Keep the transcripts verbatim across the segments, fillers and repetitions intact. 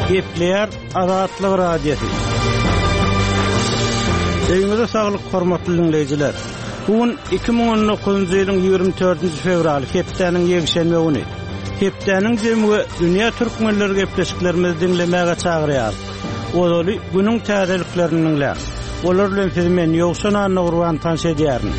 Gepleýär Azatlyk Radiosy. Öýüňize saglyk hormatly dinleýjiler. Bu gün iki müň on dokuzynjy ýylyň ýigrimi dördünji fewraly, hepdäniň ýekşenbe güni. Hepdäniň jemi we dünýä türkmenleri gepleşiklerimizi diňlemäge çagyrýar. Ozaly günüň täzeliklerini diňläň. Olar bilen sizi men Ýowşan Annagurban tanyş edýärin.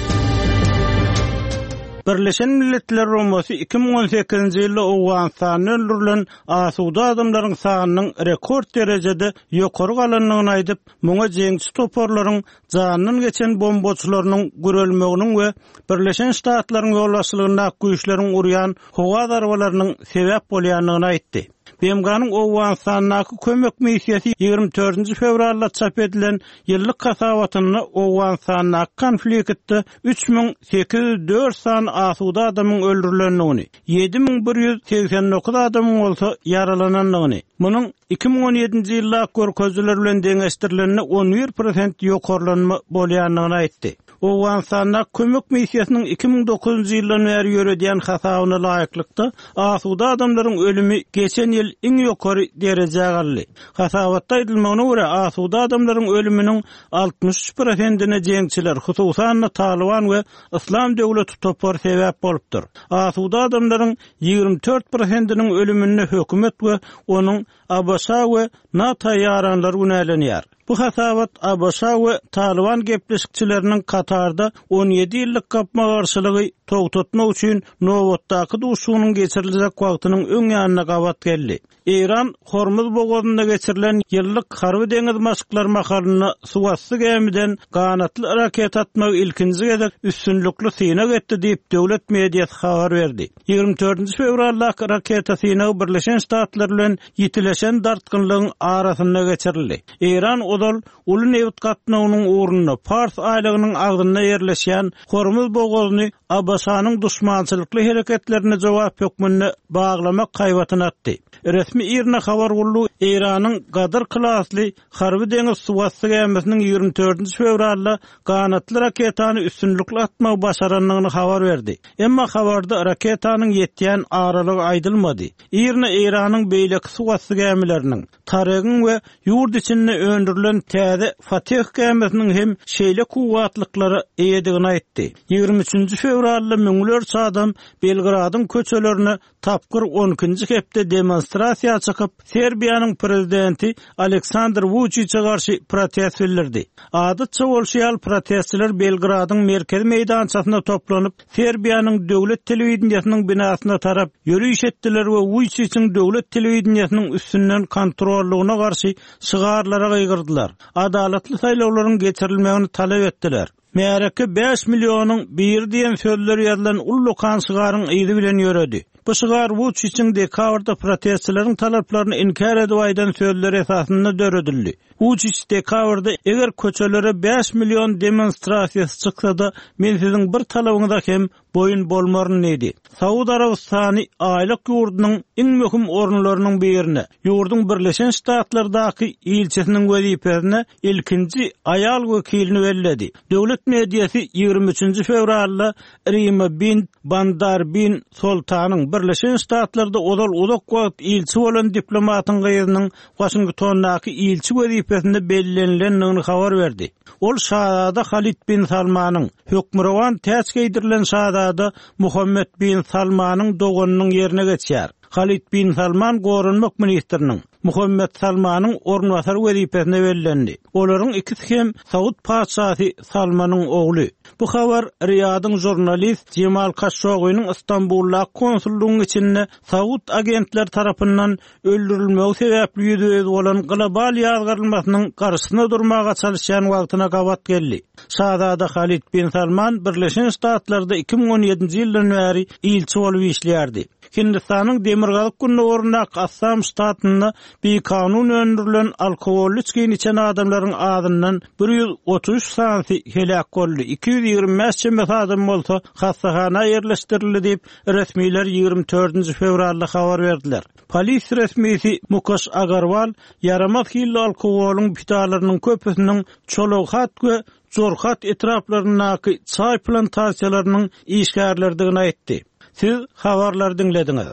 Birleşen Milletler Guramasy iki müň on sekizinji ýylda Owganystanda öldürilen asuda adamlaryň sanynyň rekord derejede ýokary galandygyny aýdyp, muňa jeňçi toparlaryň jandan geçen bombaçylarynyň gürelmeginiň we Birleşen Ştatlaryň ýolbaşçylygyndaky güýçleriň urýan howa zarbalarynyň sebäp bolýandygyny aýtdy. B M G-nyň Owganystandaky kömek missiýasy ýigrimi dördünji fewralda çap edilen ýyllyk hasabatynda Owganystandaky konfliktde üç müň sekiz ýüz dört sany asuda adamyň öldürilendigini, ýedi müň bir ýüz segsen dokuz adamyň bolsa ýaralanandygyny, munuň iki müň on ýedinji ýyldaky görkezijiler bilen deňeşdirilende on bir prosent ýokarlanma bolýandygyny aýtdy. Owganystandaky kömek missiýasynyň iki müň dokuzynjy ýyldan bäri ýöredýän hasabyna laýyklykda asuda adamlaryň ölümi geçen ýyl iň ýokary derejä galdy. Hasabatda aýdylmagyna görä asuda adamlaryň ölüminiň altmyş üç prosentine jeňçiler, hususan-da Taliban we Islam döwleti topary sebäp bolupdyr. Asuda adamlaryň ýigrimi dört prosentiniň ölüminde hökümet we onuň A B Ş we NATO ýaranlary günälenýär. Bu hasabat A B Ş we Taliban gepleşikçileriniň Katarda on ýedi ýyllyk gapma-garşylygy togtatmak üçin nobatdaky duşuşygynyň geçiriljek wagtynyň öň ýanyna gabat geldi. Eýran Hormuz bogazynda geçirilen ýyllyk harby deňiz maşklary mahalynda suwasty gämiden ganatly raket atmagy ilkinji gezek üstünlikli synag etdi diýip döwlet mediasy habar berdi. Ýigrimi dördünji fewraldaky raketa synagy Birleşen Ştatlar bilen ýitileşen dartgynlygyň arasynda geçirildi. Eýran ozal uly nebit gatnawynyň ugrunda Pars aýlagynyň agzynda ýerleşýän Hormuz bogazyny A B Ş-nyň duşmançylykly hereketlerine jogap hökmünde baglamak haýbatyny atdy. Resmi IRNA habar gullugy Eýranyň Gadyr klasly harby deňiz suwasty gämisiniň ýigrimi dördünji fewralda ganatly raketany üstünlikli atmagy başarandygyny habar berdi. Emma habarda raketanyň ýetýän aralygy aýdylmady. IRNA Eýranyň beýleki suwasty gämileriniň, Taregiň we ýurt içinde öndürilen täze Fatih gämisiniň hem şeýle kuwwatlyklara eýedigini aýtdy. Ýigrimi üçünji fewralda müňlerçe adam Belgradyň köçelerine tapgyr on ikinji hepde demonstrasiýa çykyp, Serbiýanyň prezidenti Aleksandr Vučiće garşy protest bildirdi. Adatça bolşy ýaly protestçiler Belgradyň merkezi meýdançasynda toplanyp, Serbiýanyň döwlet telewideniýesiniň binasyna tarap ýöriş etdiler we Vučićiň döwlet telewideniýesiniň üstünden kontrollygyna garşy şygarlara gygyrdylar. Adalatly saýlawlaryň geçirilmegini talap etdiler. Märeke bäş millionyň biri diýen sözler ýazylan ullukan şygaryň yzy bilen ýöredi. Bu şygar Vučićiň dekabrda protestçileriň talaplaryny inkär edip aýdan sözler esasynda döredildi. Vučić dekabrda eger köçelere bäş million demonstrasiýasy çyksa-da, men siziň bir talabyňyza hem boýun bolmaryn diýdi. Saud Arabystany aýlyk ýurdunyň iň möhüm orunlarynyň birine, ýurduň Birleşen Ştatlardaky ilçisiniň wezipesine ilkinji aýal wekilini belledi. Döwlet mediasy ýigrimi üçünji fewralda Rima bin Bandar bin Sultanyň Birleşen Ştatlarda ozal uzak wagt ilçi bolan diplomatyň gyzynyň Washingtondaky ilçi wezipesinde bellenilendigini habar berdi. Ol Şahzada Halid bin Salmanyň, hökmürowan täç geýdirilen Şahzada Muhammed bin Salmanyň doganynyň ýerine geçýär. Halid bin Salman goranmak ministriniň, Muhammed Salmanyň orunbasary wezipesine bellendi. Olaryň ikisi hem Saud patyşasy Salmanyň ogly. Bu habar Riýadyň jurnalist Jemal Kaşogynyň Istanbuldaky konsullygyň içinde Saud agentler tarapyndan öldürilmegi sebäpli ýüzbe-ýüz bolan global ýazgarylmasynyň garşysyna durmaga çalyşýan wagtyna gabat geldi. Şahzada Halid bin Salman Birleşen Ştatlarda iki müň on ýedinji ýyldan bäri ilçi bolup işleýärdi. Hindistanyň demirgazyk gündogaryndaky Assam ştatynda bikanun öndürilen alkogolly içgini içen adamlaryň azyndan bir ýüz otuz üç sanysy heläk boldy. Iki ýüz ýigrimi bäş çemesi adam bolsa hastahana ýerleşdirildi diýip resmiler ýigrimi dördünji fewralda habar berdiler. Polis resmisi Mukesh Agarwal ýaramaz hilli alkogolyň pidalarynyň köpüsiniň Çologhat we Jorhat etraplaryndaky çaý plantasiýalarynyň işgärleridigini aýtdy. Siz habarlary diňlediňiz.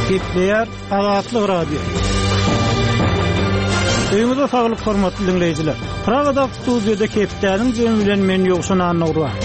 Gepleýär Azatlyk Radiosy. Öýüňize saglyk hormatly diňleýjiler. Pragada studiýada hepdäniň jemi bilen men Ýowşan Annagurban.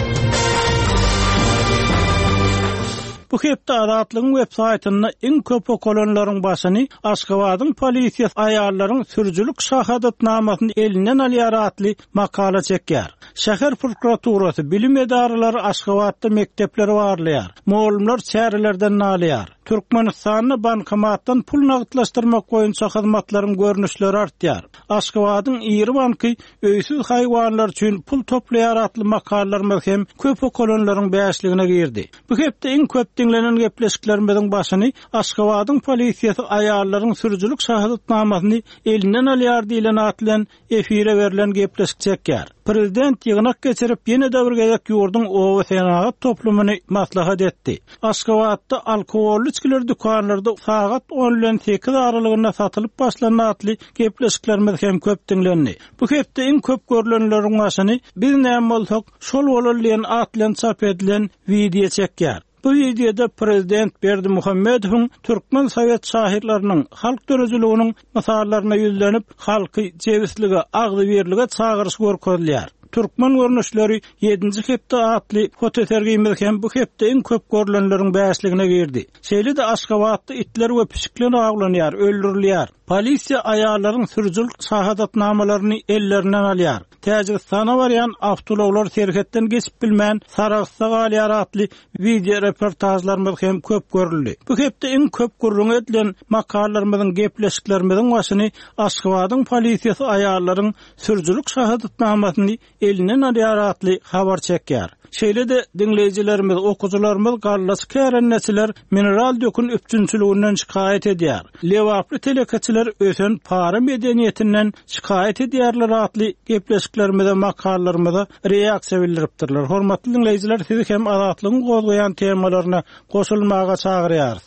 Bu hepde Azatlygyň web saýtynda iň köp okalanlaryň başyny Aşgabadyň polisiýasy aýallaryň sürüjilik şahadatnamasyny elinden alýar atly makala çekýär. Şäher prokuraturasy bilim edaralary Aşgabatda mekdepleri barlaýar. Mugallymlar çärelerden nalýar. Türkmenistanda bankomatdan pul nagtlaşdyrmak boýunça hyzmatlaryň görnüşleri artýar. Aşgabadyň iri banky öýsüz haýwanlar üçin pul toplaýar atly makalalarymyz hem köp okalanlaryň bäşligine girdi. Bu hepde iň köp diňlenen gepleşiklerimiziň başyny Aşgabadyň polisiýasy aýallaryň sürüjilik şahadatnamasyny elinden alýar diýlen atly efire berlen gepleşik çekýär. Prezident ýygnak geçirip ýene-de bir gezek ýurduň oba senagat toplumyny maslahat etdi. Aşgabatda alkogolly içgiler dükanlarda sagat on bilen sekiz aralygynda satylyp başlandy atly gepleşiklerimiz hem köp diňlendi. Bu hepde iň köp görülenleriň başyny biz näme bolsak şol bolar diýen atly çap edilen wideo çekýär. Bu videoda Prezident Berdimuhamedow'un Türkmen Sovet şahirleriniň halk döredijiliginiň mysallaryna ýüzlenip, halky jebislige, agzybirlige çagyryş görkezilýär. Türkmen görnüşleri ýedinji hepde atly fotosergimiz hem bu hepde iň köp görülenleriň bäşligine girdi. Şeýle-de Aşgabatda itler we pişikler awlanýar, öldürilýär. Polisiýa aýallaryň sürüjilik şahadatnamalaryny ellerinden alýar. Täjigistana barýan awtoulaglar serhetden geçip bilmän Sarahsda galýar atly video reportajlarymyz hem köp görüldi. Bu hepde iň köp gürrüň edilen makalalarymyzyň, gepleşiklerimiziň başyny Aşgabadyň polisiýasy aýallaryň sürüjilik şahadatnamasyny elinden alýar atly habar çekýär. Şeýle-de diňleýjilerimiz, okuwçylarymyz gallaç kärendeçiler mineral dökün üpjünçiliginden şikaýat edýär. Lebaply telekeçiler ösen para medeniýetinden şikaýat edýärler atly gepleşiklerimize, makalalarymyza reaksiýa bildiripdirler. Hormatly diňleýjiler, sizi hem Azatlygyň gozgaýan temalaryna goşulmaga çagyrýarys.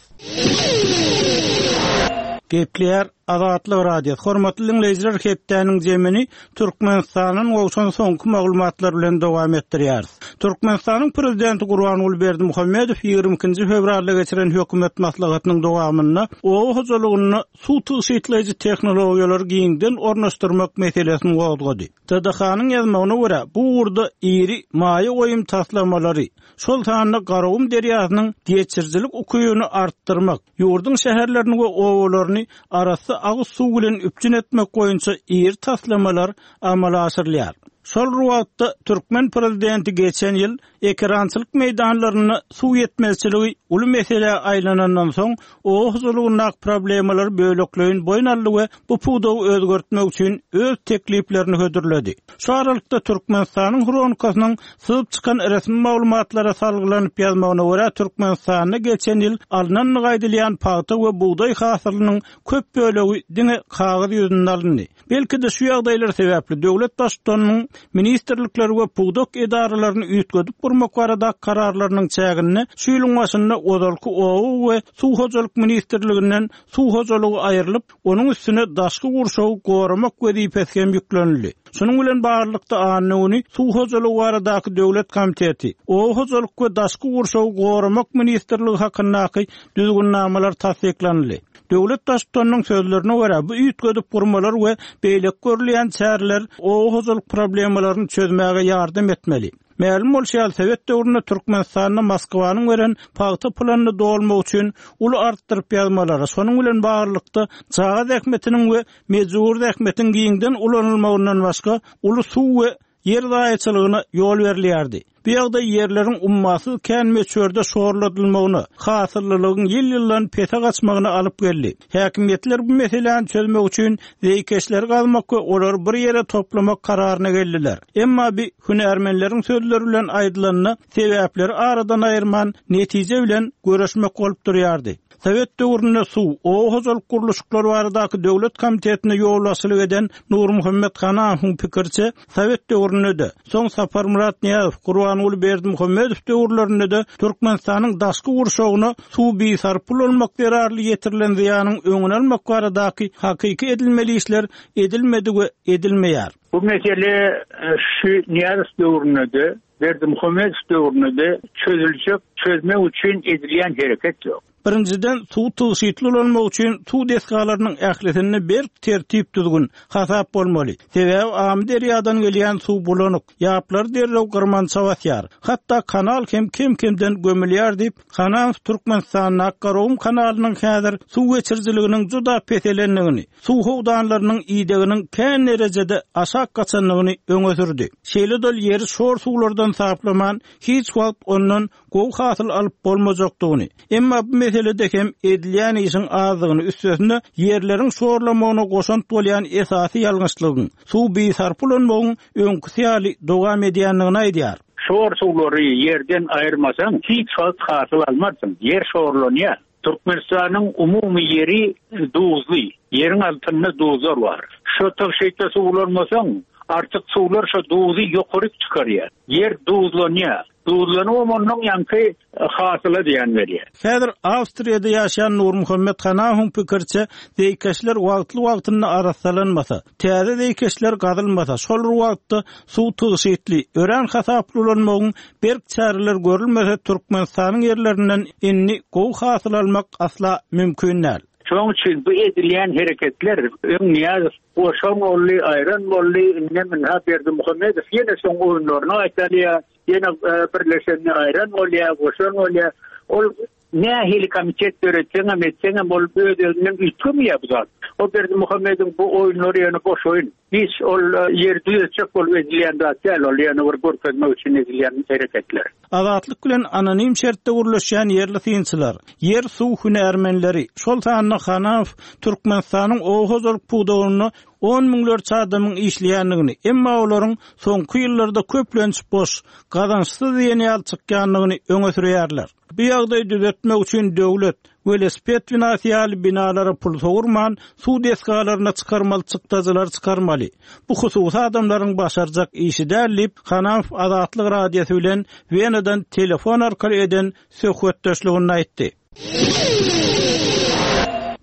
Gepleýär Azatlyk Radiosy. Hormatly diňleýjiler, hepdäniň jemini Türkmenistanyň gowşan soňky maglumatlar bilen dowam etdirýäris. Türkmenistanyň prezidenti Gurbanguly Berdimuhamedow ýigrimi ikinji fewralda geçiren hökümet maslahatynyň dowamynda oba hojalygynda suw tygşytlaýjy tehnologiýalary giňden ornaşdyrmak meselesini gozgady. T D H-nyň ýazmagyna görä, bu ugurda iri maýa goýum taslamalary, şol sanda Garagum derýasynyň geçirijilik ukybyny artdyrmak, ýurduň şäherlerini we obalaryny arassa agyz suw bilen üpjün etmek boýunça iri taslamalar amala aşyrylýar. Şol bir wagtda Türkmen prezidenti geçen ýyl ekerançylyk meýdanlarynda suw ýetmezçiligi uly meselä aýlanandan soň oba hojalygyndaky problemalar bölekleýin boýun aldy we bu pudagy özgertmek üçin öz tekliplerini hödürledi. Şu aralykda Türkmenistanyň Hronikasynyň syzyp çykan resmi maglumatlara salgylanyp ýazmagyna görä Türkmenistanda geçen ýyl alnandygy aýdylýan pagta we bugdaý hasylynyň köp bölegi diňe kagyz ýüzünde alyndy. Belki de şu ýagdaýlar sebäpli döwlet baştutanynyň ministrlikleri we pudak edaralaryny üýtgedip gurmak barada kararlarynyň çäginde şu ýylyň başynda ozalky oba we suw hojalyk ministrliginden suw hojalygy aýrylyp, onuň üstüne daşky gurşawy goramak wezipesi hem ýüklenildi. Şunuň bilen baglylykda anna güni Suw hojalygy baradaky döwlet komiteti, Oba hojalyk we daşky gurşawy goramak ministrligi hakyndaky düzgünnamalar tassyklanyldy. Döwlet baştutanynyň sözlerine görä, bu üýtgedip gurmalar we beýleki görülýän çäreler oba hojalyk problemalaryny çözmäge ýardam etmeli. Mälim bolşy ýaly, Sowet döwründe Türkmenistanda Moskwanyň beren pagta planyny dolmak üçin uly artdyryp ýazmalary, şonuň bilen baglylykda çaga zähmetiniň we mejbur zähmetiň giňden ulanylmagyndan başga uly suw we ýer zaýaçylygyna ýol berilýärdi. Bu ýagdaý ýerleriň ummasyz kän möçberde şorladylmagyna, hasyllylygyň ýyl-ýyldan pese gaçmagyna alyp geldi. Häkimiýetler bu meseläni çözmek üçin zeýkeşleri gazmak we olary bir ýere toplamak kararyna geldiler. Emma bi hünärmenleriň sözleri bilen aýdylanda sebäpleri aradan aýyrman netije bilen görüşmek bolup durýardy. Sowet döwründe suw, oba hojalyk gurluşyklary baradaky döwlet komitetine ýolbaşçylyk eden Nurmuhammet Hanamowyň pikirçe, Sowet döwründe-de, soň Saparmyrat Nyýazow, Gurbanguly Berdimuhamedow döwürlerinde-de Türkmenistanyň daşky gurşawyna suw bisarp ulanmak zerarly ýetirilen zyýanyň öňüni almak baradaky hakyky edilmeli işler edilmedi we edilmeýär. Bu mesele şu Nyýazow döwründe-de, Berdimuhamedow döwründe-de çözülecek, çözmek üçin edilýän hereket ýok. Birinjiden suw tygşytly ulanmak üçin suw desgalarynyň ählisinde berk tertip düzgün hasap bolmaly. Sebäbi Amyderýadan gelýän suw bulanyk, ýaplar derrew gyrmança basýar. Hatda kanal hem kem-kemden gömülýär diýip, Hanamow Türkmenistanda Garagum kanalynyň häzir suw geçirijiliginiň juda peselendigini, suw howdanlarynyň ideginiň kän derejede aşak gaçandygyny öňe sürdi. Şeýle dol ýeri şor suwlardan saplaman, hiç wagt ondan gowy hasyl alyp bolmajakdygyny, emma bu meselede hem edilýän işiň azdygyny üstesinde ýerleriň şorlamagyna goşant bolýan esasy ýalňyşlygyň suw bisarp ulanmagyň öňküsi ýaly dowam edýändigini aýdýar. Şor suwlary ýerden aýyrmasaň hiç wagt hasyl almarsyň. Ýer şorlanýar. Türkmenistanyň umumy ýeri duzly. Ýeriň altynda duzlar bar. Şo tygşytly suw ulanmasaň, artık suwlar şo duzy ýokaryk çykarýar. Ýer duzlanýar. Duzlanyp ondan ýaňky hasyla diýen berýär. Häzir Awstriýada ýaşaýan Nurmuhammet Hanamowyň pikirçe, zeýkeşler wagtly wagtynda arassalanmasa, täze zeýkeşler gazylmasa, şol bir wagtda suw tygşytly, örän hasaply ulanmagyň berk çäreler görülmese, Türkmenistanyň ýerlerinden indi gowy hasyl almak asla mümkin däl. Şonuň üçin bu edilýän hereketler öň Nyýazow goşan boldy, aýran boldy, indi minha Berdimuhamedow ýene soň oýunlaryny aýtalýar, ýene birleşenini aýran bolýar, goşan bolýar. Ol nähili komitet döretseňem etseňem ol öz-özünden üýtgemeýär bu zat. O Berdimuhamedowyň bu oýunlary ýöne boş oýun. Hiç ol ýer düzetjek bolup edilýän zat däl, ol ýöne bir görkezmek üçin edilýän hereketler. Azatlyk bilen anonim şertde gurluşýan ýerli synçylar, ýer suw hünärmenleri, şol sanda Hanamow Türkmenistanyň oba hojalyk pudagynda on müňlerçe adamyň işleýändigini, emma olaryň soňky ýyllarda köplenç boş, gazançsyz diýen ýaly çykýandygyny öňe sürýärler. Bu ýagdaýy düzetmek üçin döwlet welosiped binasy ýaly binalara pul sowurman, suw desgalaryna çykarmaly çykdajylar çykarmaly. Bu hususy adamlaryň başarjak işi däl diýip, Hanamow Azatlyk Radiosy bilen Wenadan telefon arkaly eden söhbetdeşliginde aýtdy.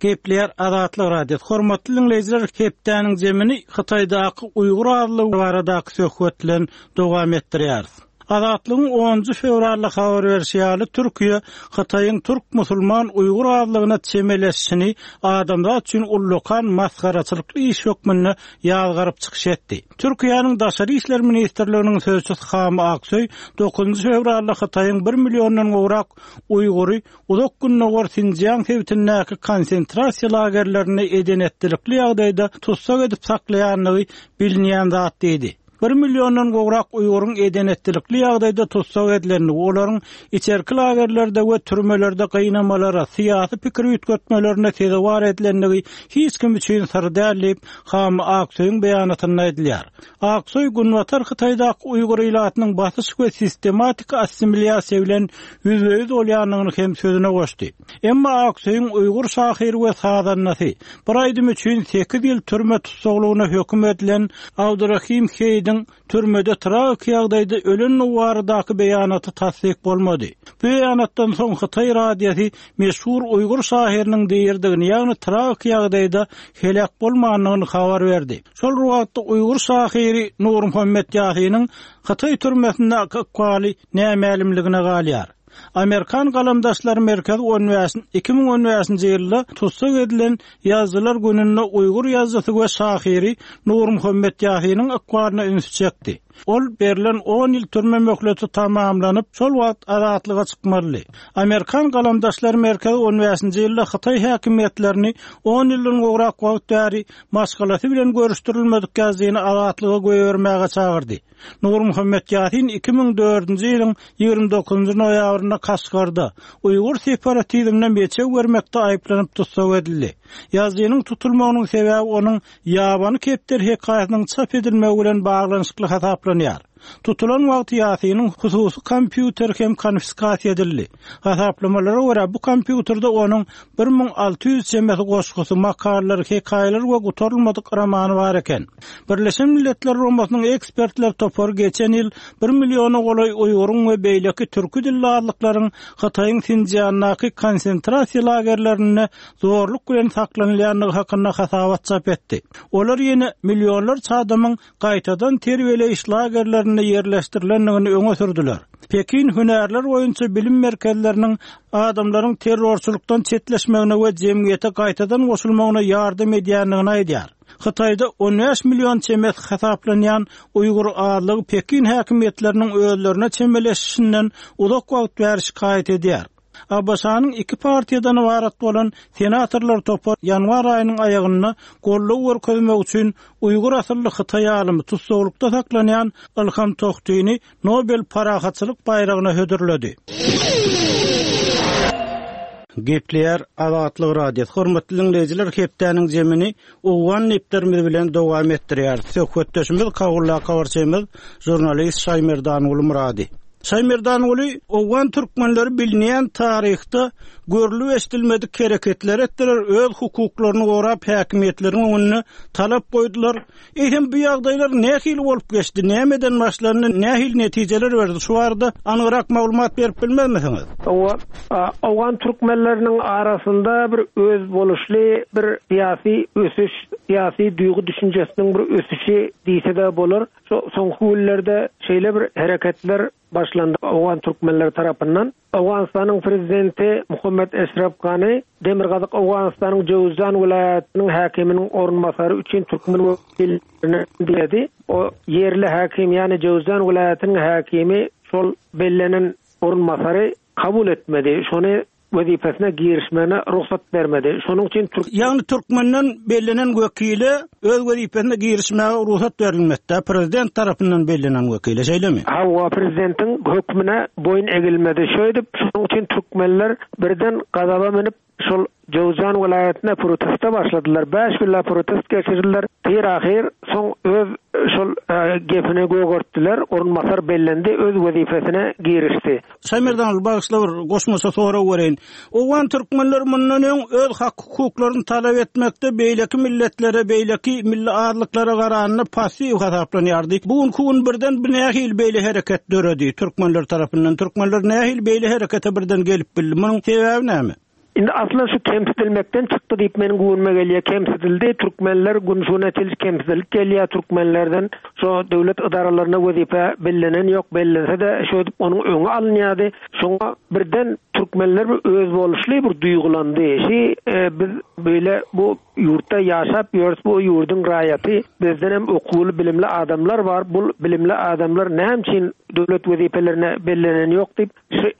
Gepler Azatlyk Radiosy. Hormatly dinleýjiler, hepdäniň zemini Hytaýdaky Uýgur azlygy baradaky söhbet bilen dowam etdirýäris. Azatlygyň onunjy fewralda habar berişi ýaly Türkiýe Hytaýyň türk musulman Uýgur azlygyna çemeleşişini adamzat üçin ullakan masgaraçylykly iş hökmünde ýazgaryp çykyş etdi. Türkiýäniň Daşary işler ministrliginiň sözçüsi Hami Aksoý dokuzynjy fewralda Hytaýyň bir milliondan gowrak Uýgury uzak gündogar Sinjiang sebitindäki konsentrasiýa lagerlerinde edenetlilikli ýagdaýda tussag edip saklaýandygy bilinýän zat diýdi. Bir milliondan gowrak Uýguryň edenetlilikli ýagdaýda tussag edilendigi, olaryň içerki lagerlerde we türmelerde gynamalara, syýasy pikir üýtgetmelerine sezewar edilendigi hiç kim üçin syr däl diýip, Hami Aksoýyň beýanatynda aýdylýar. Aksoý Günbatar Hytaýdaky Uýgur ilatynyň basyş we sistematik assimilýasiýa bilen ýüzbe-ýüz bolýandygyny hem sözüne goşdy. Emma Aksoýyň Uýgur şahyry we sazandasy bir aýdym üçin sekiz ýyl türme tussaglygyna höküm edilen Abdurrahim Heýdiň türmede tragik ýagdaýda ölen baradaky beýanaty tassyk bolmady. Bu beýanatdan soň Hytaý radiosy meşhur Uýgur şahyrynyň diýirdigini, ýagny tragik ýagdaýda helak bolmandygyny habar berdi. Şol wagtda Uýgur şahyry Nurmuhammet Ýasynyň Hytaý türmesinde ykbaly nämälimligine galýar. Amerikan galamdaşlary merkezi on bäş, iki müň on bäşinji ýylda tussag edilen ýazyjylar gününde Uýgur ýazyjysy we şahyry Nurmuhammet Ýasynyň ykbalyna üns çekdi. Ol berlen on ýyl türme möhleti tamamlanyp, şol wagt azatlyga çykmaly. Amerikan galamdaşlary merkezi on bäşinji ýylda Hytaý häkimiýetlerini on ýyldan gowrak wagt bäri maşgalasy bilen görüşdirilmedik ýazyjyny azatlyga goýbermäge çagyrdy. Nurmuhammet Ýasyn iki müň dördünji ýylyň ýigrimi dokuzynjy noýabrynda Kaşgarda Uýgur separatizmine meçew bermekde aýyplanyp tussag edildi. Ýazyjynyň tutulmagynyň sebäbi onuň ýabany kepder hekaýasynyň çap edilmegi bilen baglanyşykly hasaplanýar. Tutulan wagty Ýasynyň hususy kompýuter hem konfiskasiýa edildi. Hasaplamalara görä bu kompýuterde onuň bir müň alty ýüz çemesi goşgusy, makalalar, hekaýalar we gutarylmadyk romany bar eken. Birleşen Milletler Guramasynyň ekspertler topary geçen ýyl bir milliona golaý Uýguryň we beýleki türki dilli azlyklaryň Hytaýyň Sinjiandaky konsentrasiýa lagerlerinde zorluk bilen saklanylýandygy hakynda hasabat çap etdi. Olar ýene millionlarça adamyň gaýtadan terbiýeleýiş lagerlerinde merkezlerinde ýerleşdirilendigini öňe sürdüler. Pekin hünärler boýunça bilim merkezleriniň adamlaryň terrorçylykdan çetleşmegine we jemgyýete gaýtadan goşulmagyna ýardam edýändigini aýdýar. Hytaýda on bäş million çemesi hasaplanýan Uýgur azlygy Pekin häkimiýetleriniň özlerine çemeleşişinden uzak wagt bäri şikaýat edýär. A B Ş-nyň iki partiýadan ybarat bolan senatorlar topary ýanwar aýynyň aýagynda goldaw görkezmek üçin Uýgur asylly Hytaý alymy tussaglykda saklanýan Ilham Tohtini Nobel parahatçylyk baýragyna hödürledi. Gepleýär Azatlyk Radiosy. Hormatly dinleýjiler, hepdäniň jemini Owgan neplerimiz bilen dowam etdirýär. Söhbetdeşimiz Kabulda habarçymyz žurnalist Şaýmerdanguly Murady. Şaýmerdanguly, Owgan türkmenleri bilinýän taryhda görlüp eşidilmedik hereketler etdiler, öz hukuklaryny gorap häkimiýetleriň öňünde talap goýdular. Eýsem bu ýagdaýlar nähili bolup geçdi, nämeden başlandy, nähili netijeler berdi? Şu barada anygyrak maglumat berip bilmezmisiňiz? Owa, Owgan türkmenleriniň arasynda bir öz boluşly bir syýasy ösüş, syýasy duýgy düşünjesiniň bir ösüşi diýse de bolar. Şu soňky günlerde şeýle bir hereketler başlandy Owgan türkmenleri tarapyndan. Owganystanyň prezidenti Muhammed Eşref Gani Demirgazyk Owganystanyň Jowzjan welaýatynyň häkiminiň orunbasary üçin türkmen wekilini belledi. O ýerli häkim, ýagny Jowzjan welaýatynyň häkimi şol bellenen orunbasary kabul etmedi. Şony wezipesine girişmegine rugsat bermedi. Şonuň üçin Türk Ýagny türkmenden bellenen wekile öz wezipesine girişmäge rugsat berilmedi, prezident tarapyndan bellenen wekile, şeýlemi? Hawa, prezidentiň hökmüne boýun egilmedi. Şeýdip, şonuň üçin türkmenler birden gazaba münüp şol Jowzjan welaýatyna proteste başladylar. Bäş günläp protest geçirdiler. Bir ahyr soň öz şol e, gepini gögertdiler. Orunbasar bellendi, öz wezipesine girişdi. Şaýmerdan bagyşla bir goşmaça sorag bereýin. Owgan türkmenler mundan öň öz hak hukuklaryny talap etmekde beýleki milletlere, beýleki milli azlyklara garanda passiw hasaplanýardy. Bu gün birden bir nähili beýle hereket döredi türkmenler tarapyndan. Türkmenler nähili beýle harekete birden gelip bildi? Munuň sebäbi näme? Indi aslında şu kemsidilmekden çykdy diýip meniň göwnüme gelýär. Kemsidildi. Türkmenler gün şuna çenli kemsidilip gelýär türkmenlerden. Şu döwlet idaralaryna wezipe bellenen ýok, bellense de şu edip onuň öňi alynýardy. Şoňa birden türkmenler bir öz boluşly bir duýgulandy. Şi e, biz böyle bu ýurtda ýaşap ýörüs, bu ýurduň raýaty, bizden hem okuwly bilimli adamlar bar. Bu bilimli adamlar näme üçin döwlet wezipelerine bellenen ýok diýip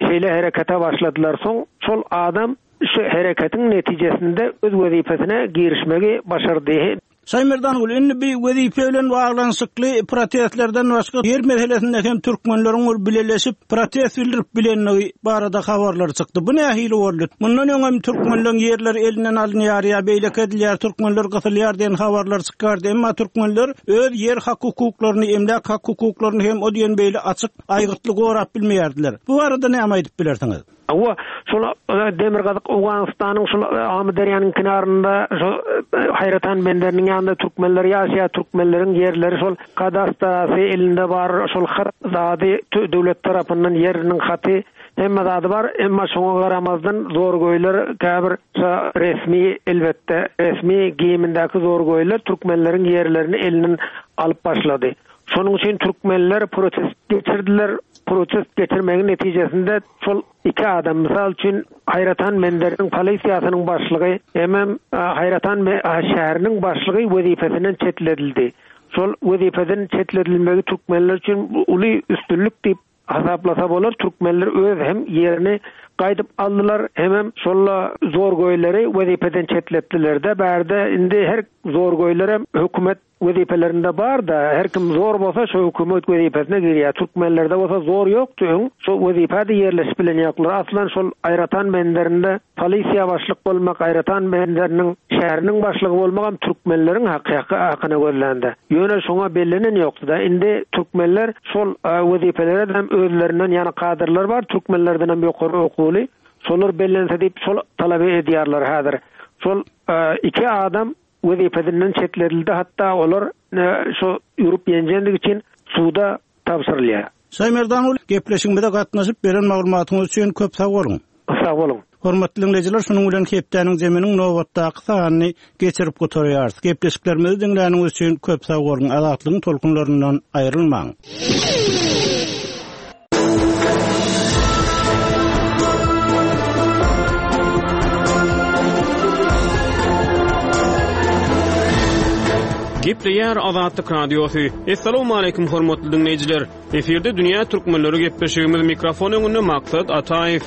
şeýle harekete başladylar. Soň şol adam şu hareketiň netijesinde öz wezipesine girişmegi başardy. Şaýmerdan indi bir wezipe bilen baglanyşykly protestlerden başga ýer meselesinde hem türkmenleriň bir bileleşip protest bildirip bilenligi barada habarlar çykdy. Bu nähili boldy? Mundan öň hem türkmenleriň ýerleri elinden alynýar ýa beýleki edilýär, türkmenler gysylýar diýen habarlar çykardy. Emma türkmenler öz ýer hak hukuklaryny, emläk hak hukuklaryny hem o diýen beýle açyk aýgytly gorap bilmeýärdiler. Bu barada näme aýdyp bilersiňiz? Hawa, şol Demirgazyk Owganystanyň şol Amyderýanyň kenarynda şo Haýratan benderiniň ýanynda türkmenler ýaşaýar, türkmenleriň ýerleri şol kadastrasy elinde bar, şol hat zady döwlet tarapyndan ýeriniň haty hemme zady bar, emma şoňa garamazdan zorgoýlar käbir resmi elbetde resmi geýimindäki zorgoýlar türkmenleriň ýerlerini elinden alyp başlady. Şonuň üçin türkmenler protest geçirdiler. Protest geçirmegiň netijesinde şol iki adam, mysal üçin Haýratan Menderiniň polisiýasynyň başlygy hemem Haýratan şäheriniň başlygy wezipesinden çetledildi. Şol wezipeden çetledilmegi türkmenler üçin uly üstünlik diýip hasaplasa bolar. Türkmenler öz hem ýerini gaýdyp aldylar, hemem şolla zorgoýlary wezipeden çetletdiler de bärde indi her zorgoýlar hem hökümet wezipelerinde bar da her kim zor bolsa şu hökümet wezipesine girýär. Türkmenlerde bolsa zor ýokdy öň. Şu wezipede ýerleşip bilen ýoklar. Aslan şol Aýratan benderinde polisiýa başlyk bolmak, Aýratan benderiniň şäheriniň başlygy bolmak hem türkmenleriň haky hakyna gözlendi. Ýöne şoňa bellenen ýokdy da. Indi türkmenler şol wezipelere hem özlerinden ýany kadrlar bar, türkmenlerden hem ýokary okuwly. Şolar bellense diýip şol talaby edýärler häzir. Şol iki adam wezipesinden çetledildi, hatta olar şu ýurup ýenjendik üçin suda tabşyrylýar. Şaýmerdan gepleşigimize gatnaşyp beren maglumatyňyz üçin köp sag boluň. Sag boluň. Hormatly dinleýjiler, şunuň bilen hepdäniň zeminiň nobatdaky sanyny geçirip gutarýarys. Gepleşiklerimizi diňläniňiz üçin köp sag boluň. Azatlygyň tolkunlaryndan aýrylmaň. Gepleýär Azatlyk Radiosy. Essalamu aleýkum hormatly dinleýjiler. Efirde Dünýä Türkmenleri gepleşigimiz mikrofon öňünde Maksat Ataýew.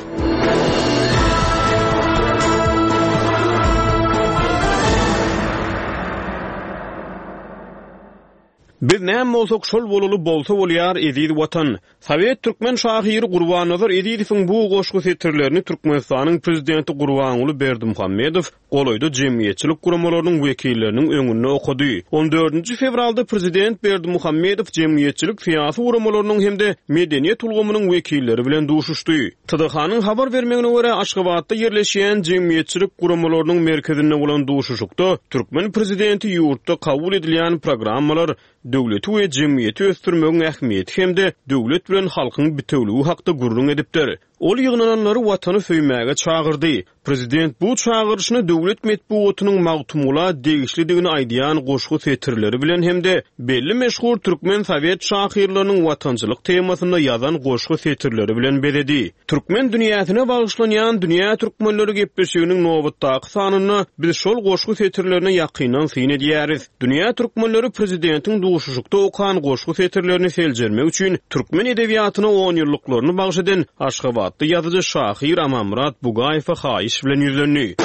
Biz näme bolsak şol bolaly bolsa bolýar eziz watan. Sowet türkmen şahyry Gurbannazar Ezizowyň bu goşgy setirlerini Türkmenistanyň prezidenti Gurbanguly Berdimuhamedow golaýda jemgyýetçilik guramalarynyň wekilleriniň öňünde okady. On dördünji fewralda prezident Berdimuhamedow jemgyýetçilik syýasy guramalarynyň hem-de medeniýet ulgamynyň wekilleri bilen duşuşdy. T D H-nyň habar bermegine görä Aşgabatda ýerleşýän jemgyýetçilik guramalarynyň merkezinde bolan duşuşykda türkmen prezidenti ýurtda kabul edilýän programmalar döwleti we jemgyýeti ösdürmegiň ähmiýeti hem-de döwlet bilen halkyň bitewligi hakda gürrüň edipdir. Ol ýygnananlary watany söýmäge çagyrdy. Prezident bu çagyryşyny döwlet metbugatynyň Magtymgula degişlidigini aýdýan goşgy setirleri bilen hem-de belli meşhur türkmen sowet şahyrlarynyň watançylyk temasynda ýazan goşgy setirleri bilen bezedi. Türkmen dünýäsine bagyşlanýan Dünýä Türkmenleri gepleşiginiň nobatdaky sanynda biz şol goşgy setirlerine ýakyndan syn edýäris. Dünýä Türkmenleri prezidentiň duşuşykda okan goşgy setirlerini seljermek üçin türkmen edebiýatyna on ýyllyklaryny bagş eden Aşgabatda ýazyjy şahyr Amanmyrat Bugaýewe haýyş bilen ýüzlendi.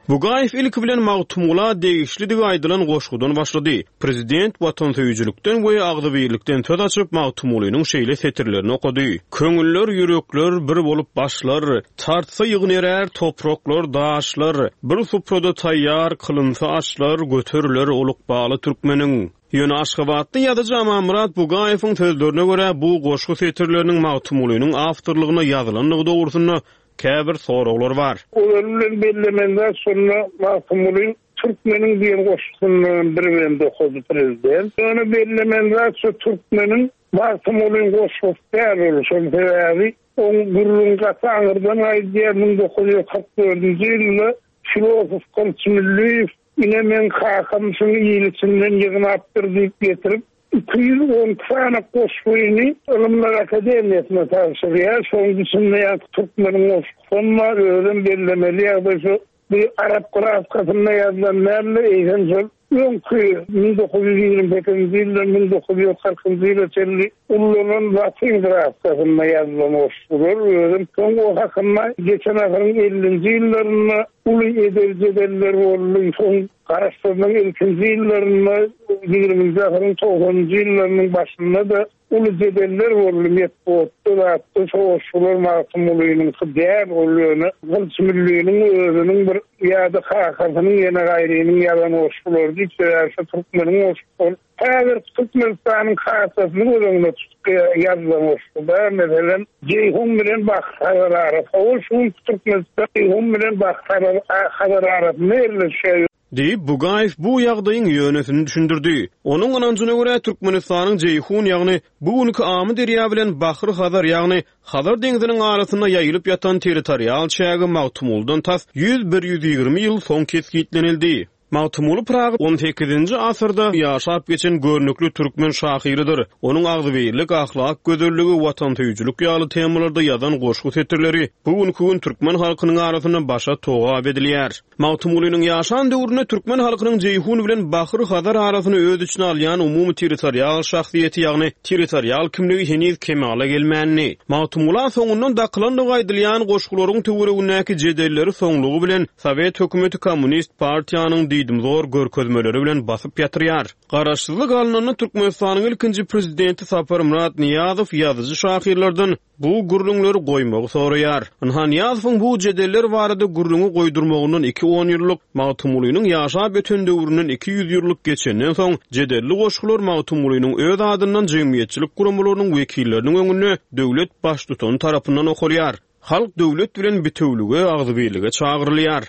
Bugaýew ilki bilen Magtymgula degişlidigi aýdylan goşgudan başlady. Prezident watansöýüjilikden we agzybirlikden söz açyp Magtymgulynyň şeýle setirlerini okady. Köňüller, ýürekler bir bolup başlar, tartsa ýygnerer topraklar, daşlar, bir suprada taýýar kylynsa açlar, göteriler olukbaly türkmeniň. Ýöne Aşgabatda ýazyjy Amanmyrat Bugaýewiň sözlerine görä bu goşgy setirleriniň Magtymgulynyň awtorlygyna ýazylandygy dogrusynda käbir soraglar bar. Olar bilen bellemende sonra Magtymguly Türkmeniň diýen goşgusyndan bir bend okady prezident. Ýöne bellemende şu Türkmeniň Magtymgulyň goşgusy däl ol, şol sebäbi oň gürrüň gaty aňyrdan aýdýar, müň dokuz ýüz kyrk dördünji ýylda filosof Gylyç Mülliýew ine men kakam şuny il içinden ýygnapdyr diýip getirip iki ýüz on sany goşgyny Ylymlar Akademiýasyna tabşyrýar. Şonuň içinde ýa Türkmeniň goşgusam bar, özüm bellemeli ýagdaý şu bir Arap grafkasynda ýazylan näme, eýsem şol öňki müň dokuz ýüz ýigrimi sekizinji ýyldan müň dokuz ýüz kyrkynjy ýyla çenli ullanan latyn grafkasynda ýazylan goşgular. Özüm soň o hakynda geçen asyryň ellinji ýyllarynda uly edebi jedeller boldy. Soň Garaşsyzlygyň ilkinji ýyllarynda ýigriminji asyryň togsanynjy ýyllarynyň başynda da uly jedeller boldy. Metbugatda zatda şo goşgular Magtymgulynyň däl ol ýöne Gylyç Mülliýeniň özüniň bir ýa-da kakasynyň ýene gaýrynyň ýazan goşgulary diýip, sebäbi şu Türkmeniň goşgulary häzir Türkmenistanyň kartasyny göz öňüne tutup ýazylan goşguda, meselem, Jeýhun bilen Bahry Hazar arasy, ol şu gün Türkmenistan Jeýhun bilen Bahry Hazar arasynda ýerleşýär. Diýip, Bugaýew bu ýagdaýyň ýönesini düşündirdi. Onuň ynanjyna görä Türkmenistanyň Jeýhun, ýagny bu günki Amy derýa bilen Bahry Hazar, ýagny Hazar deňziniň arasynda ýaýylyp ýatan territorial çägi Magtymgulydan tas ýüz bir ýüz ýigrimi ýyl soň kesgitlenildi. Magtymguly Pyragy on sekizinji asyrda ýaşap geçen görnükli türkmen şahyrydyr. Onuň agzybirlik, ahlak gözelligi, watansöýüjilik ýaly temalarda ýazan goşgy setirleri bu günki gün türkmen halkynyň arasynda başa togap edilýär. Magtymgulynyň ýaşan döwründe türkmen halkynyň Jeýhun bilen Bahry Hazar arasyny öz içine alýan umumy territorial şahsyýeti, ýagny territorial kimligi heniz kemala gelmändi. Magtymgula soňundan dakylandygy aýdylýan goşgularyň töweregindäki jedelleri soňlugy bilen Sowet hökümeti Kommunist partiýanyň diýdimzor görkezmeleri bilen basyp ýatyrýar. Garaşsyzlyk alnanda Türkmenistanyň ilkinji prezidenti Saparmyrat Nyýazow ýazyjy şahyrlardan bu gürrüňleri goýmagy soraýar. Ynha Nyýazowyň bu jedeller barada gürrüňi goýdurmagyndan iki on ýyllyk, Magtymgulynyň ýaşap öten döwründen iki ýüz ýyllyk geçenden soň jedelli goşgular Magtymgulynyň öz adyndan jemgyýetçilik guramalarynyň wekilleriniň öňünde döwlet baştutany tarapyndan okalýar. Halk döwlet bilen bitewlige, agzybirlige çagyrylýar.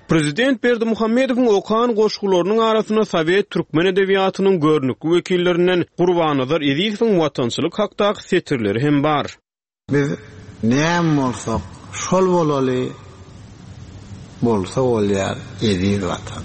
Prezident Berdimuhamedowyň okan goşgularynyň arasynda sowet türkmen edebiýatynyň görnükli wekillerinden Gurbannazar Ezizowyň watançylyk hakdaky setirleri hem bar. Biz näme bolsak, şol bolaly, bolsa bolýar eziz Watan.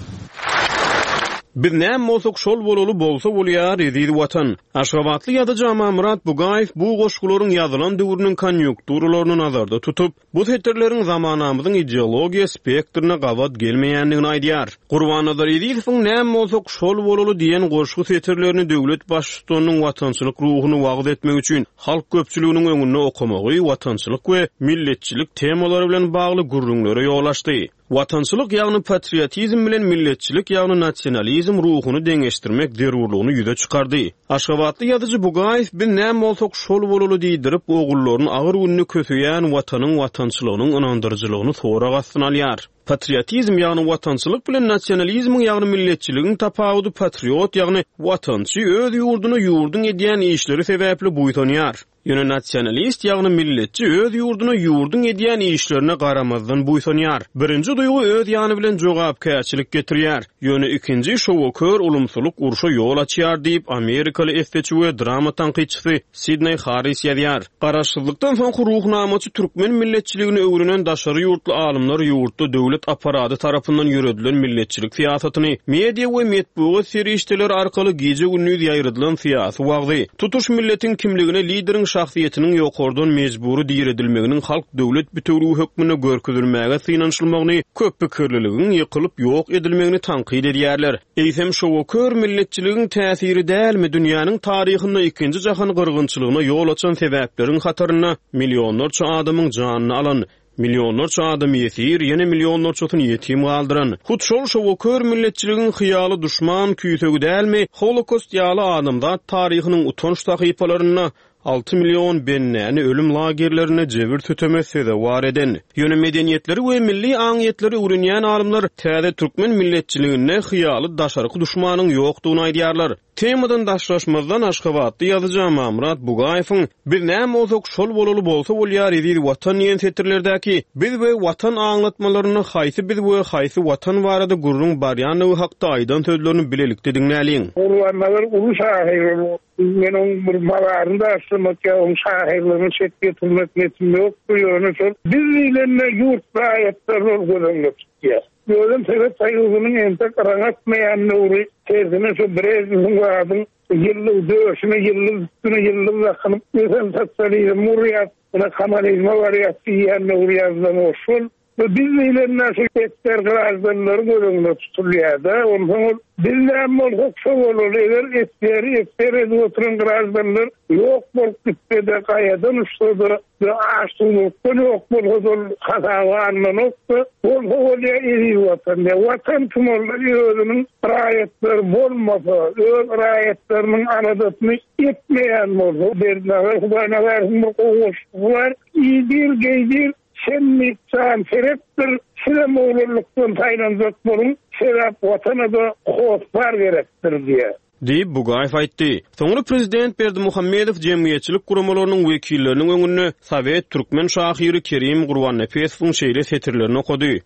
Biz näme bolsak şol bolaly, bolsa bolýar eziz Watan. Aşgabatly ýazyjy Amanmyrat Bugaýew bu goşgularyň ýazylan döwrüniň konýunkturalaryny nazarda tutup, bu setirleriň zamanamyzyň ideologiýa spektrine gabat gelmeýändigini aýdýar. Gurbannazar Ezizowyň näme bolsak şol bolaly diýen goşgy setirlerini döwlet baştutanynyň watançylyk ruhuny wagyz etmek üçin halk köpçüliginiň öňünde okamagy watançylyk we milletçilik temalary bilen bagly gürrüňlere ýol açdy. Watançylyk ýagny patriotizm bilen milletçilik ýagny nasionalizm ruhuny deňeşdirmek zerurlygyny ýüze çykardy. Aşgabatly ýazyjy Bugaýew biz näme bolsak şol bolaly diýdirip, ogullaryny agyr günde köseýän watanyň watançylygynyň ynandyryjylygyny sorag astyna alýar. Patriotizm ýagny watançylyk bilen nasionalizmiň ýagny milletçiligiň tapawudy patriot ýagny watançy öz ýurduna ýurduň edýän işleri sebäpli buýsanýar. Ýöne nasionalist ýagny milletçi öz ýurduna ýurduň edýän işlerine garamazdan buýsanýar. Birinji duýgy öz ýany bilen jogapkärçilik getirýär. Ýöne ikinji şowakör ulumsylyk urşa ýol açýar diýip Amerikaly esseçi we drama tankytçysy Sidney Harris ýazýar. Garaşsyzlykdan soňky ruhnamaçy türkmen milletçiligini öwrenen daşary ýurtly alymlar ýurtda döwlet aparady tarapyndan ýöredilen milletçilik syýasatyny media we metbugat serişdeleri arkaly gije-gündiz ýaýradylan syýasy wagzy, tutuş milletiň kimligine lideriň şahsyýetiniň ýokardan mejbury diredilmeginiň halk döwlet bütewligi hökmünde görkezilmäge synanyşylmagyny, köp pikirliligiň ýykylyp ýok edilmegini tankyt edýärler. Eýsem şowakör milletçiligiň täsiri dälmi dünýäniň taryhynda ikinji jahan gyrgynçylygyna ýol açan sebäpleriň hatarynda millionlarça adamyň janyny alan, millionlarça adam ýesir, ýene millionlarçasyny ýetim galdyran. Hut şol şowakör milletçiligiň hyýaly duşman küýsegi dälmi, Holokost ýaly adamzat taryhynyň utanç sahypalarynda alty million bennäni ölüm lagerlerine jebir süteme sezewar eden. Ýöne medeniýetleri we milli aňyýetleri öwrenýän alymlar täze türkmen milletçiliginde hyýaly daşarky duşmanyň ýokdugyny aýdýarlar. Temadan daşlaşmazdan Aşgabatly ýazyjy Amanmyrat Bugaýewiň biz näme bolsak şol bolaly bolsa bolýar eziz watan diýen setirlerdäki biz we watan aňlatmalarynda haýsy biz we haýsy watan barada gürrüň barýanlygy hakda aýdan sözlerini bilelikde diňläliň. Gurbannazar uly şahyr, men oň bir mazaryny da açmak ýa oň şahyrlygyny çek getirmek niýetim ýok. Ýöne şol biz diýlende ýurt raýatlary ol göz öňünde tutýar. Özüm Sowet Soýuzynyň entek yraň atmaýan döwri, tersine şu Brejnewiň zadyň ýyllyk döşüne ýyllyk üstüne ýyllyk dakynyp, ösen sosializm urýar, ýa kommunizme barýar diýen döwri ýazylan o şol. Ve biz diýlende şu esger grajdanlary göz öňünde tutulýar-da, onsoň ol biz näme bolsak şo bolaly, eger esgeri esger edip oturan grajdanlar ýok bolup gitse-de, gaýadan uçsa-da, we açlykdan ýok bolsa-da ol hasaba alnanokda, bolsa bolýar eziz watan. Ýa watan kim ol özüniň raýatlary bolmasa, öz raýatlarynyň aladasyny etmeýän bolsa, Berdinazar Hudaýnazarowyň bir goşgusy bar, Iýdir, geýdir, sen can seretdir, sizem oglanlykdan saýlanjak boluň, sebäp watana da hossar gerekdir diýe. Diýip Bugaýew aýtdy. Soňra prezident Berdimuhamedow jemgyýetçilik guramalarynyň wekilleriniň öňünde Sowet türkmen şahyry Kerim Gurbannepesowyň şeýle setirlerini okady.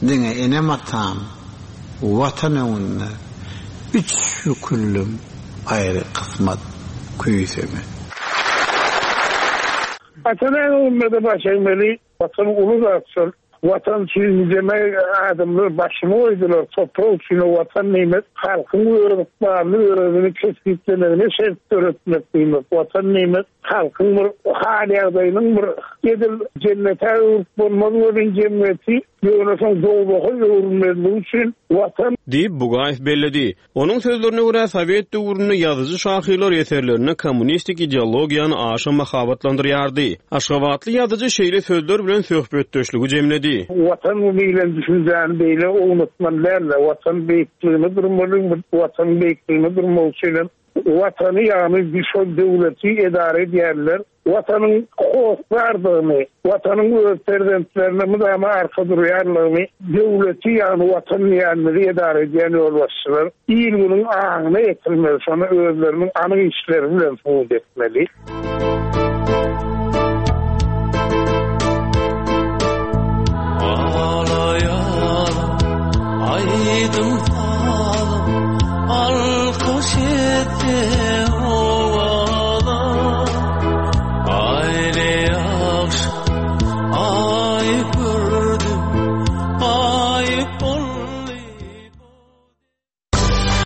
Diňe enem atam watan öňünde üç büküldüm aýry kysmat küýseme. Watan öňünde de baş egmeli, watan uly zat şol. Watan üçin nijeme adamlar başyny goýdular, toprak üçin watan diýmek, halkyň öz ykbalyny özüni kesgitlemegine şert döretmek diýmek, watan diýmek, halkyň bir hal ýagdaýynyň bir edil jennete öwrüp bolmaz welin jemgyýeti, ýöne soň dowzaha öwrülmezligi üçin watan diýip Bugaýew belledi. Onuň sözlerine görä Sowet döwründe ýazyjy şahyrlar eserlerinde kommunistik ideologiýany aşa mahabatlandyrýardy. Aşgabatly ýazyjy şeýle sözler bilen söhbetdeşligi jemledi. Watan diýlen düşünjäni beýle ownutmaly däldi. Watan beýikligini durmaly, watan beýikligini durmak üçin hem watany ýagny şol döwleti edara edýärler. Watanyň hossardygyny, watanyň öz perzentlerine mydama arka durýanlygyny, döwleti ýagny watan diýenimizi edara edýän ýolbaşçylar il günüň aňyna ýetirmeli, şony özleriniň anyk işleri bilen subut etmeli. Ağlayan Aýdym